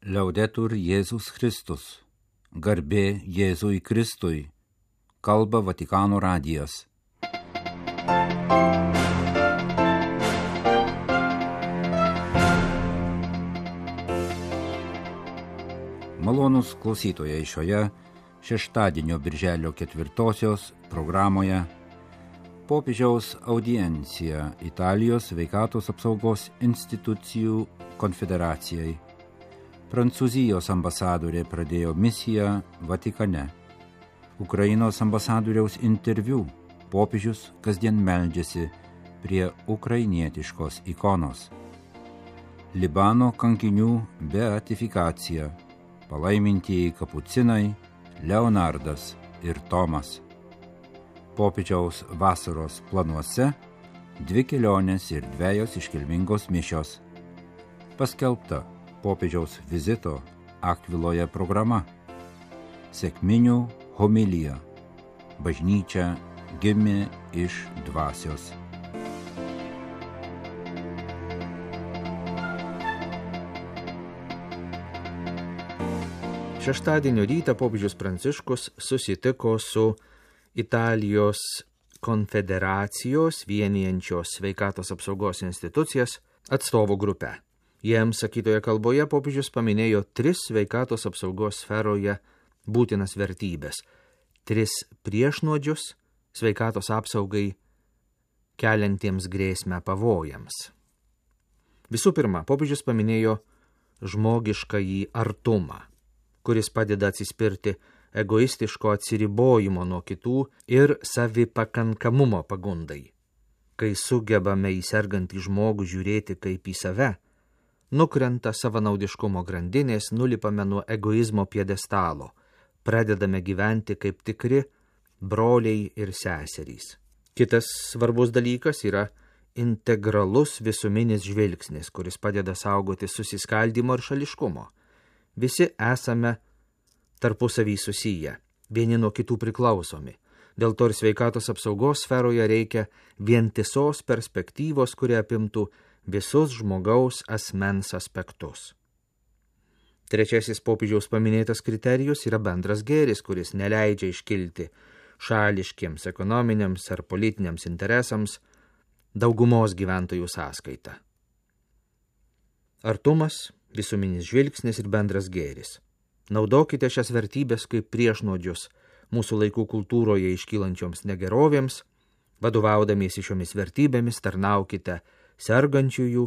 Liaudetur Jėzus Kristus. Garbė Jėzui Kristui. Kalba Vatikano radijas. Malonūs klausytojai, šioje šeštadienio birželio 4 programoje popiežiaus audiencija Italijos sveikatos apsaugos institucijų konfederacijai. Prancūzijos ambasadorė pradėjo misiją Vatikane. Ukrainos ambasadoriaus interviu popiežius kasdien meldžiasi prie ukrainietiškos ikonos. Libano kankinių beatifikacija, palaimintieji kapucinai Leonardas ir Tomas. Popiežiaus vasaros planuose 2 kelionės ir 2 iškilmingos mišios. Paskelbta popiežiaus vizito Akviloje programa. Sekminių homilija. Bažnyčia gimė iš dvasios. Šeštadienio rytą popiežius Pranciškus susitiko su Italijos konfederacijos vienijančios sveikatos apsaugos institucijas atstovų grupe. Jiems sakytoje kalboje popiežius paminėjo 3 sveikatos apsaugos sferoje būtinas vertybės, 3 priešnuodžius sveikatos apsaugai keliantiems grėsmę pavojams. Visų pirma, popiežius paminėjo žmogiškąjį artumą, kuris padeda atsispirti egoistiško atsiribojimo nuo kitų ir savipakankamumo pagundai. Kai sugebame į sergantį žmogų žiūrėti kaip į save, nukrenta savanaudiškumo grandinės, nulipame nuo egoizmo pjedestalo, pradedame gyventi kaip tikri broliai ir seserys. Kitas svarbus dalykas yra integralus visuminis žvilgsnis, kuris padeda saugoti susiskaldimo ir šališkumo. Visi esame tarpusavy susiję, vieni nuo kitų priklausomi. Dėl to ir sveikatos apsaugos sferoje reikia vientisos perspektyvos, kurie apimtų visus žmogaus asmens aspektus. Trečiasis popiežiaus paminėtas kriterijus yra bendras gėris, kuris neleidžia iškilti šališkiems ekonominiams ar politiniams interesams daugumos gyventojų sąskaita. Artumas, visuminis žvilgsnis ir bendras gėris. Naudokite šias vertybės kaip priešnuodžius mūsų laikų kultūroje iškylančioms negerovėms, vadovaudamiesi šiomis vertybėmis tarnaukite sergančiųjų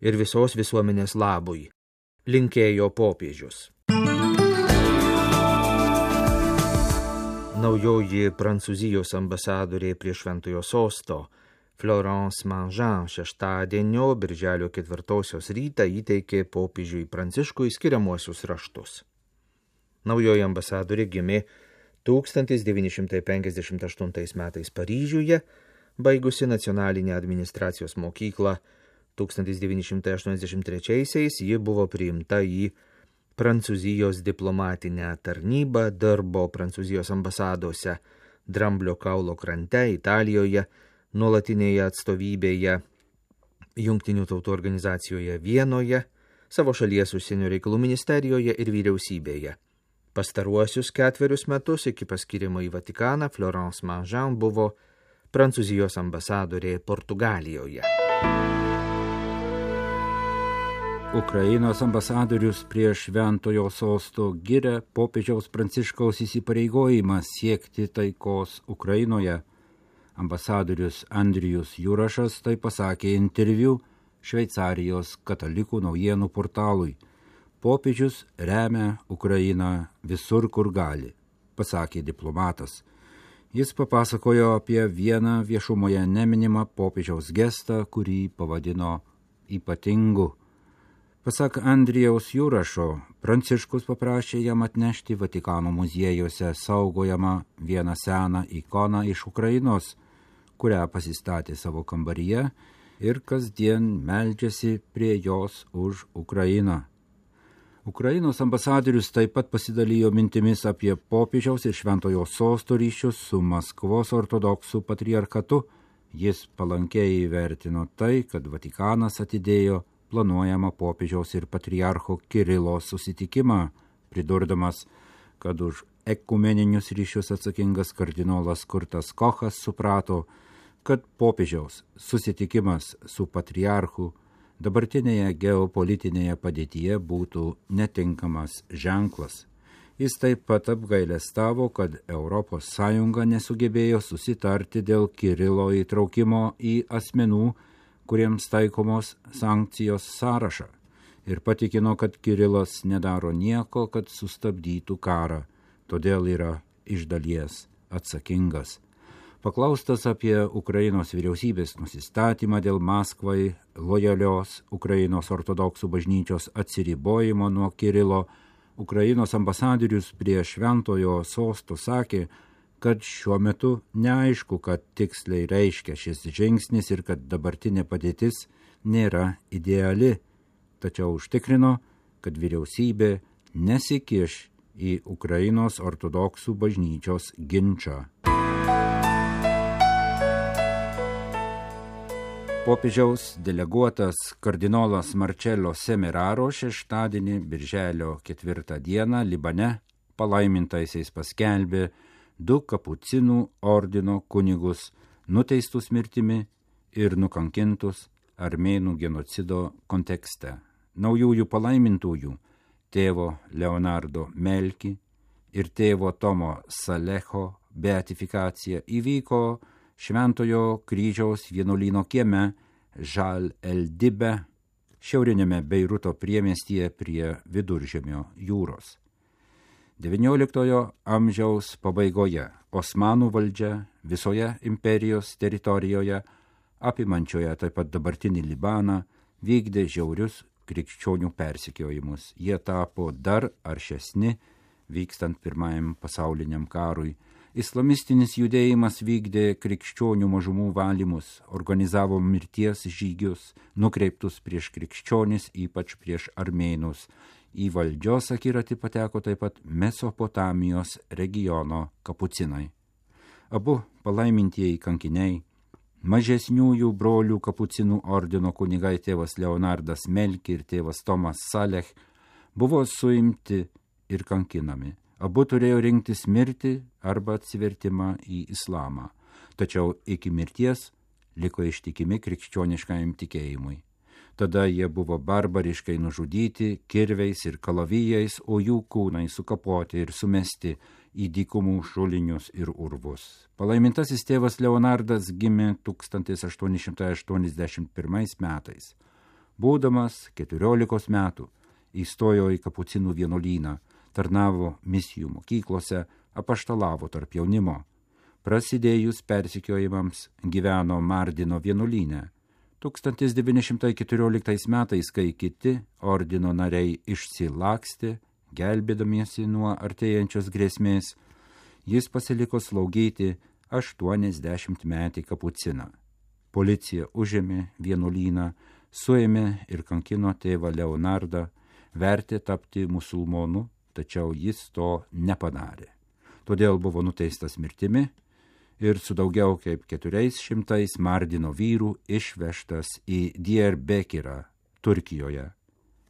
ir visos visuomenės labui, linkėjo popiežius. Naujoji Prancūzijos ambasadorė prie Šventojo Sosto Florence Mangean šeštadienio birželio 4 rytą įteikė popiežiui Pranciškui skiriamuosius raštus. Naujoji ambasadorė gimė 1958 metais Paryžiuje, baigusi nacionalinę administracijos mokyklą 1983-aisiais, ji buvo priimta į Prancūzijos diplomatinę tarnybą, dirbo Prancūzijos ambasadose Dramblio kaulo krante, Italijoje, nuolatinėje atstovybėje Jungtinių tautų organizacijoje Vienoje, savo šalies užsienio reikalų ministerijoje ir vyriausybėje. Pastaruosius 4 metus iki paskirimo į Vatikaną Florence Mangean buvo Prancūzijos ambasadorė Portugalijoje. Ukrainos ambasadorius prie Šventojo Sosto giria popiežiaus Pranciškaus įsipareigojimą siekti taikos Ukrainoje. Ambasadorius Andrijus Jurašas tai pasakė interviu Šveicarijos katalikų naujienų portalui. Popiežius remia Ukrainą visur, kur gali, pasakė diplomatas. Jis papasakojo apie vieną viešumoje neminimą popiežiaus gestą, kurį pavadino ypatingu. Pasak Andrijaus Jurašo, Pranciškus paprašė jam atnešti Vatikano muziejuose saugojamą vieną seną ikoną iš Ukrainos, kurią pasistatė savo kambaryje ir kasdien meldžiasi prie jos už Ukrainą. Ukrainos ambasadorius taip pat pasidalijo mintimis apie popiežiaus ir Šventojo Sosto ryšius su Maskvos ortodoksų patriarchatu. Jis palankiai įvertino tai, kad Vatikanas atidėjo planuojamą popiežiaus ir patriarcho Kirilo susitikimą, pridurdamas, kad už ekumeninius ryšius atsakingas kardinolas Kurtas Kochas suprato, kad popiežiaus susitikimas su patriarchu dabartinėje geopolitinėje padėtyje būtų netinkamas ženklas. Jis taip pat apgailestavo, kad ES nesugebėjo susitarti dėl Kirilo įtraukimo į asmenų, kuriems taikomos sankcijos sąrašą, ir patikino, kad Kirilas nedaro nieko, kad sustabdytų karą, todėl yra iš dalies atsakingas. Paklaustas apie Ukrainos vyriausybės nusistatymą dėl Maskvai lojalios Ukrainos ortodoksų bažnyčios atsiribojimo nuo Kirilo, Ukrainos ambasadorius prie Šventojo sosto sakė, kad šiuo metu neaišku, kad tiksliai reiškia šis žingsnis ir kad dabartinė padėtis nėra ideali, tačiau užtikrino, kad vyriausybė nesikiš į Ukrainos ortodoksų bažnyčios ginčą. Popiežiaus deleguotas kardinolas Marcello Semeraro šeštadienį, birželio 4 dieną, Libane palaimintaisiais paskelbė 2 kapucinų ordino kunigus nuteistus mirtimi ir nukankintus armėnų genocido kontekste. Naujųjų palaimintųjų tėvo Leonardo Melki ir tėvo Tomo Salecho beatifikacija įvyko Šventojo kryžiaus vienuolyno kieme Žal el-Dibe, šiaurinėme Beiruto priemiestyje prie Viduržemio jūros. XIX amžiaus pabaigoje Osmanų valdžia visoje imperijos teritorijoje, apimančioje taip pat dabartinį Libaną, vykdė žiaurius krikščionių persekiojimus. Jie tapo dar aršesni vykstant Pirmajam pasauliniam karui. Islamistinis judėjimas vykdė krikščionių mažumų valymus, organizavo mirties žygius, nukreiptus prieš krikščionis, ypač prieš armėnus. Į valdžios akiratį pateko taip pat Mesopotamijos regiono kapucinai. Abu palaimintieji kankiniai, mažesniųjų brolių kapucinų ordino kunigai tėvas Leonardas Melki ir tėvas Tomas Salech, buvo suimti ir kankinami. Abu turėjo rinktis mirtį arba atsivertimą į islamą, tačiau iki mirties liko ištikimi krikščioniškajam tikėjimui. Tada jie buvo barbariškai nužudyti kirviais ir kalavijais, o jų kūnai sukapoti ir sumesti į dykumų šulinius ir urvus. Palaimintasis tėvas Leonardas gimė 1881 metais. Būdamas 14 metų įstojo į kapucinų vienuolyną, tarnavo misijų mokyklose, apaštalavo tarp jaunimo. Prasidėjus persekiojimams gyveno Mardino vienuolyne. 1914 metais, kai kiti ordino nariai išsilakstė, gelbėdamiesi nuo artėjančios grėsmės, jis pasiliko slaugyti 80-metį kapuciną. Policija užėmė vienuolyną, suėmė ir kankino tėvą Leonardą, vertė tapti musulmonu, tačiau jis to nepadarė. Todėl buvo nuteistas mirtimi ir su daugiau kaip 400 Mardino vyrų išvežtas į Diyarbekirą, Turkijoje,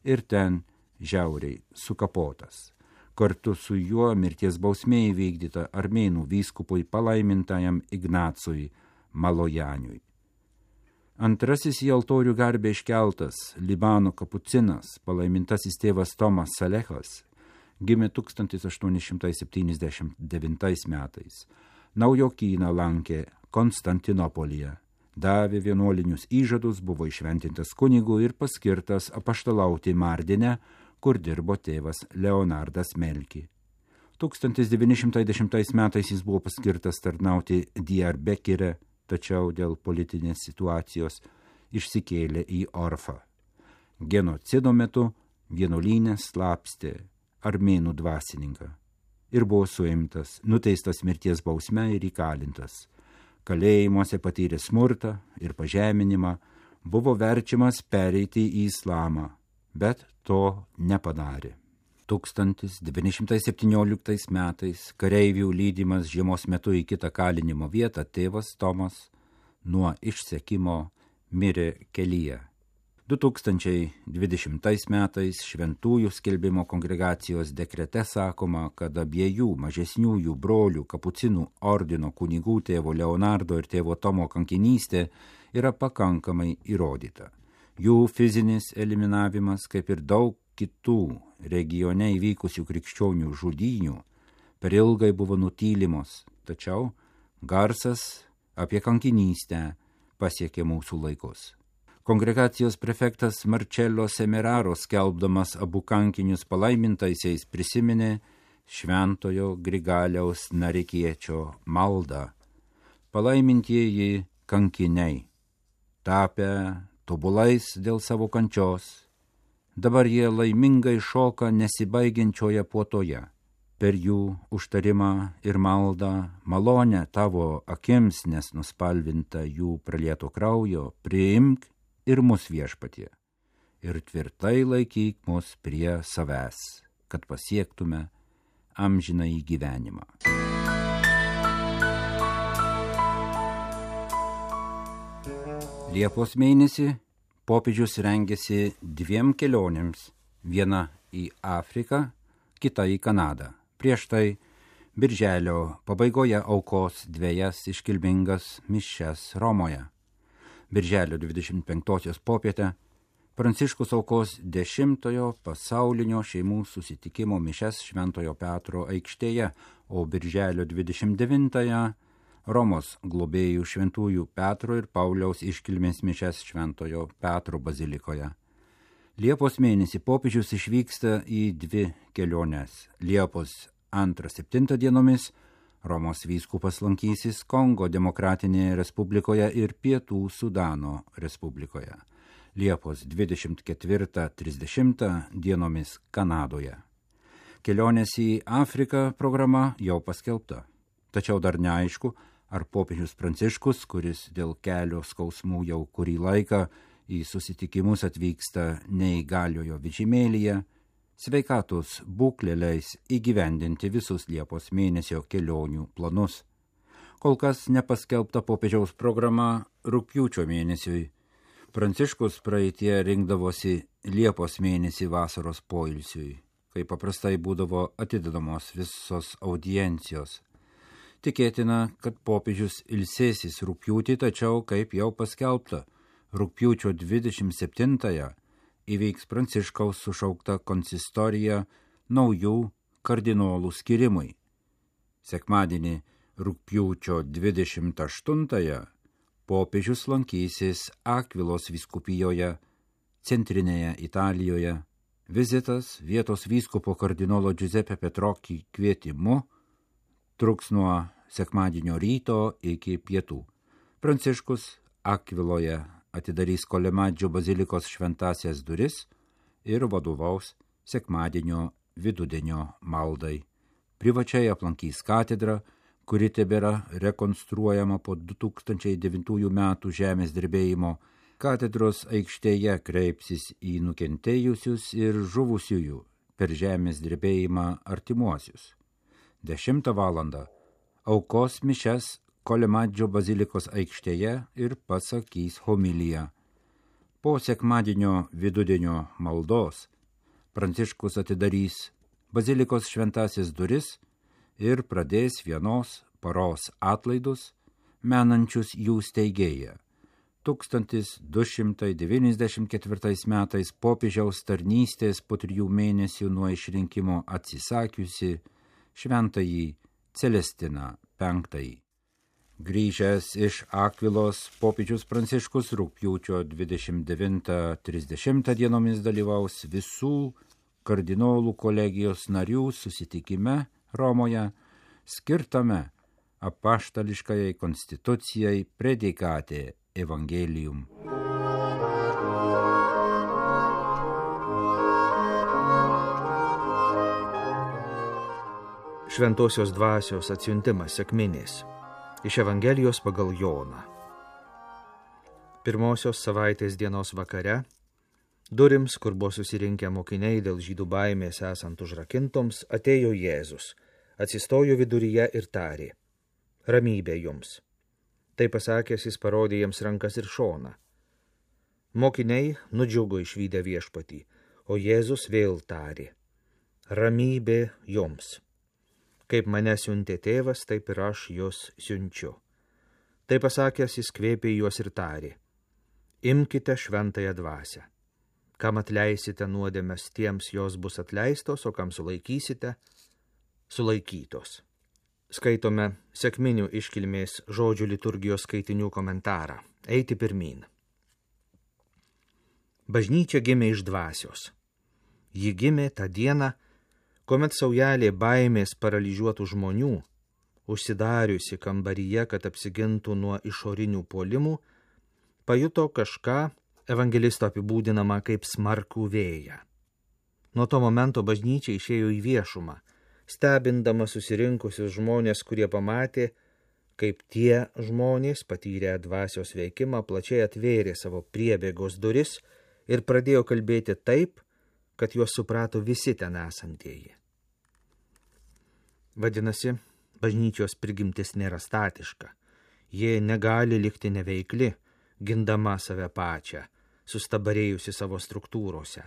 ir ten žiauriai sukapotas. Kartu su juo mirties bausmė įvykdyta armėnų vyskupui palaimintajam Ignacui Malojaniui. Antrasis į altorių garbę iškeltas Libano kapucinas, palaimintasis tėvas Tomas Salechas, gimė 1879 metais. Naujokyną lankė Konstantinopolyje, davė vienuolinius įžadus, buvo išventintas kunigu ir paskirtas apaštalauti Mardine, kur dirbo tėvas Leonardas Melki. 1910 metais jis buvo paskirtas tarnauti Diyarbekire, tačiau dėl politinės situacijos išsikėlė į Orfą. Genocido metu vienuolyne slapstė armėnų dvasininką ir buvo suimtas, nuteistas mirties bausme ir įkalintas. Kalėjimuose patyrė smurtą ir pažeminimą, buvo verčiamas pereiti į islamą, bet to nepadarė. 1917 metais kareivių lydimas žiemos metu į kitą kalinimo vietą tėvas Tomas nuo išsekimo mirė kelyje. 2020 metais Šventųjų skelbimo kongregacijos dekrete sakoma, kad abiejų mažesniųjų brolių kapucinų ordino kunigų tėvo Leonardo ir tėvo Tomo kankinystė yra pakankamai įrodyta. Jų fizinis eliminavimas, kaip ir daug kitų regione įvykusių krikščionių žudynių, per ilgai buvo nutylimos, tačiau garsas apie kankinystę pasiekė mūsų laikus. Kongregacijos prefektas Marcello Semeraro, skelbdamas abu kankinius palaimintaisiais, prisiminė šventojo Grigaliaus Narikiečio maldą. Palaimintieji kankiniai, tapę tobulais dėl savo kančios, dabar jie laimingai šoka nesibaigiančioje puotoje. Per jų užtarimą ir maldą, malonę tavo akims, nes nuspalvinta jų pralieto kraujo, priimk ir mus viešpatie, ir tvirtai laikyk mus prie savęs, kad pasiektume amžinąjį gyvenimą. Liepos mėnesį popiežius rengėsi 2 kelionėms, viena į Afriką, kita į Kanadą. Prieš tai birželio pabaigoje aukos 2 iškilmingas mišias Romoje. Birželio 25 popietę Pranciškus aukos 10 pasaulinio šeimų susitikimo mišias Šventojo Petro aikštėje, o birželio 29 Romos globėjų šventųjų Petro ir Pauliaus iškilmės mišias Šventojo Petro bazilikoje. Liepos mėnesį popiežius išvyksta į 2 keliones. Liepos 2-7 dienomis Romos vyskupas lankysis Kongo Demokratinėje Respublikoje ir Pietų Sudano Respublikoje. Liepos 24-30 dienomis Kanadoje. Kelionės į Afriką programa jau paskelbta. Tačiau dar neaišku, ar popiežius Pranciškus, kuris dėl kelio skausmų jau kurį laiką į susitikimus atvyksta neįgaliojo vežimėlyje, sveikatos būklė leis įgyvendinti visus Liepos mėnesio kelionių planus. Kol kas nepaskelbta popiežiaus programa rugpjūčio mėnesiui. Pranciškus praeitie rinkdavosi Liepos mėnesį vasaros poilsiui, kai paprastai būdavo atidedamos visos audiencijos. Tikėtina, kad popiežius ilsėsis rugpjūtį, tačiau, kaip jau paskelbta, rugpjūčio 27-ąją įvyks Pranciškaus sušaukta konsistorija naujų kardinolų skirimui. Sekmadienį rugpjūčio 28-ąją popiežius lankysis Akvilos vyskupijoje, centrinėje Italijoje. Vizitas vietos vyskupo kardinolo Giuseppe Petrocchi kvietimu truks nuo sekmadienio ryto iki pietų. Pranciškus Akviloje atidarys Kolemadžio bazilikos šventasias duris ir vadovaus sekmadienio vidudienio maldai. Privačiai aplankys katedrą, kuri tebėra rekonstruojama po 2009 metų žemės drebėjimo. Katedros aikštėje kreipsis į nukentėjusius ir žuvusiųjų per žemės drebėjimą artimuosius. 10 valandą aukos mišias Kolemadžio bazilikos aikštėje ir pasakys homiliją. Po sekmadienio vidudienio maldos Pranciškus atidarys bazilikos šventasias duris ir pradės vienos paros atlaidus, menančius jų steigėją. 1294 metais popiežiaus tarnystės po 3 mėnesių nuo išrinkimo atsisakiusi šventąjį Celestiną V. Grįžęs iš Akvilos, popiežius Pranciškus rugpjūčio 29-30 dienomis dalyvaus visų kardinolų kolegijos narių susitikime Romoje, skirtame apaštališkajai konstitucijai Predikate Evangelium. Šventosios dvasios atsiuntimas sekminės. Iš Evangelijos pagal Joną. Pirmosios savaitės dienos vakare, durims, kur buvo susirinkę mokiniai dėl žydų baimės esant užrakintoms, atėjo Jėzus, atsistojo viduryje ir tarė: Ramybė jums. Tai pasakęs, jis parodė jiems rankas ir šoną. Mokiniai nudžiugo išvydę Viešpatį, o Jėzus vėl tarė: ramybė jums. Kaip mane siuntė tėvas, taip ir aš jūs siunčiu. Tai pasakęs, jis kvėpė juos ir tarė: imkite šventąją dvasią. Kam atleisite nuodėmes, tiems jos bus atleistos, o kam sulaikysite, sulaikytos. Skaitome sekminių iškilmės žodžių liturgijos skaitinių komentarą. Eiti pirmyn. Bažnyčia gimė iš dvasios. Ji gimė tą dieną, kuomet saujelė baimės paralyžiuotų žmonių, užsidariusi kambaryje, kad apsigintų nuo išorinių puolimų, pajuto kažką evangelisto apibūdinamą kaip smarkų vėją. Nuo to momento bažnyčia išėjo į viešumą, stebindama susirinkusius žmonės, kurie pamatė, kaip tie žmonės patyrę dvasios veikimą plačiai atvėrė savo priebėgos duris ir pradėjo kalbėti taip, kad juos suprato visi ten esantieji. Vadinasi, bažnyčios prigimtis nėra statiška. Jie negali likti neveikli, gindama save pačią, sustabarėjusi savo struktūrose.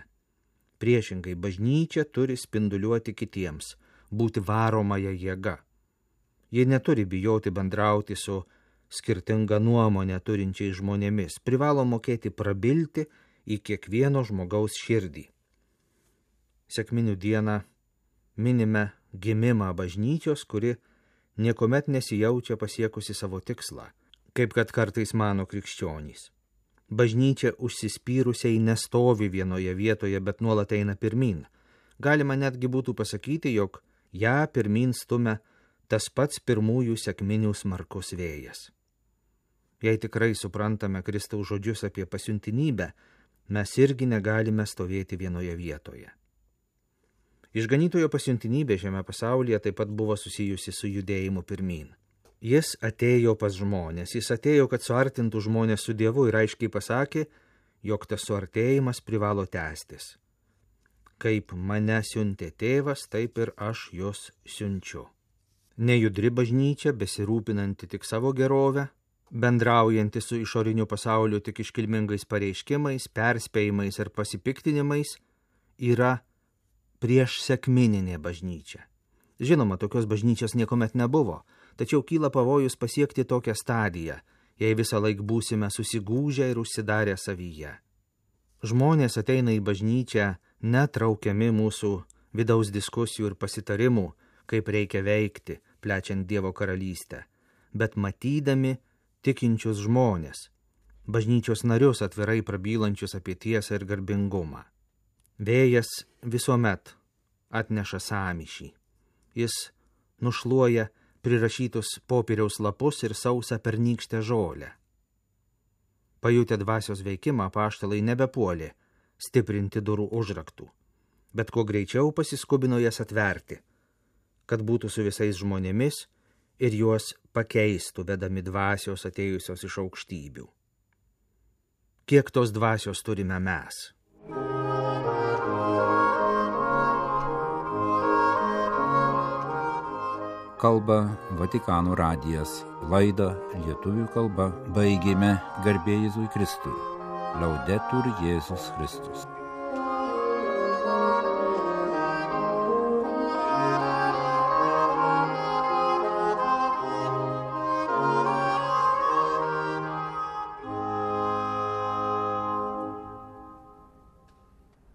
Priešingai, bažnyčia turi spinduliuoti kitiems, būti varomąją jėga. Jie neturi bijoti bendrauti su skirtinga nuomonė turinčiais žmonėmis, privalo mokėti prabilti į kiekvieno žmogaus širdį. Sekminių dieną minime gimimą bažnyčios, kuri niekuomet nesijaučia pasiekusi savo tikslą, kaip kad kartais mano krikščionys. Bažnyčia užsispyrusiai nestovi vienoje vietoje, bet nuolat eina pirmyn. Galima netgi būtų pasakyti, jog ją pirmyn stumia tas pats pirmųjų sekminių smarkus vėjas. Jei tikrai suprantame Kristaus žodžius apie pasiuntinybę, mes irgi negalime stovėti vienoje vietoje. Išganytojo pasiuntinybė šiame pasaulyje taip pat buvo susijusi su judėjimu pirmyn. Jis atėjo pas žmonės, jis atėjo, kad suartintų žmonės su Dievu ir aiškiai pasakė, jog tas suartėjimas privalo tęstis. Kaip mane siuntė tėvas, taip ir aš jūs siunčiu. Nejudri bažnyčia, besirūpinanti tik savo gerovę, bendraujanti su išoriniu pasauliu tik iškilmingais pareiškimais, perspėjimais ir pasipiktinimais, yra prieš sekmininė bažnyčia. Žinoma, tokios bažnyčios niekuomet nebuvo, tačiau kyla pavojus pasiekti tokią stadiją, jei visą laik būsime susigūžę ir užsidarę savyje. Žmonės ateina į bažnyčią netraukiami mūsų vidaus diskusijų ir pasitarimų, kaip reikia veikti, plečiant Dievo karalystę, bet matydami tikinčius žmonės, bažnyčios narius atvirai prabylančius apie tiesą ir garbingumą. Vėjas visuomet atneša sąmyšį. Jis nušluoja prirašytus popieriaus lapus ir sausą pernykštę žolę. Pajutę dvasios veikimą, apaštalai nebepuolė stiprinti durų užraktų, bet kuo greičiau pasiskubino jas atverti, kad būtų su visais žmonėmis ir juos pakeistų, vedami dvasios atėjusios iš aukštybių. Kiek tos dvasios turime mes? Kalba Vatikano radijas. Laidą lietuvių kalba baigėme. Garbė Jėzui Kristui. Laudetur Jėzus Kristus.